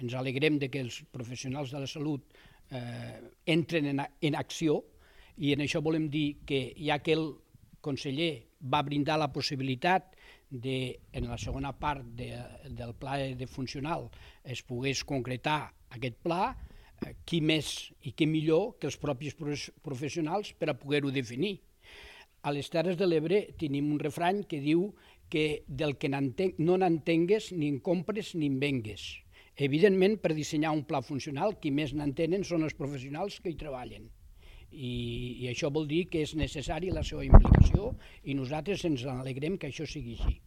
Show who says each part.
Speaker 1: ens alegrem de que els professionals de la salut entren en acció, i en això volem dir que ja que el conseller va brindar la possibilitat en la segona part del pla de funcional es pogués concretar aquest pla, qui més i qui millor que els propis professionals per a poder-ho definir. A les Terres de l'Ebre tenim un refrany que diu que del que no n'entengues ni en compres ni en vengues. Evidentment, per dissenyar un pla funcional, qui més n'entenen són els professionals que hi treballen. I això vol dir que és necessari la seva implicació i nosaltres ens alegrem que això sigui així.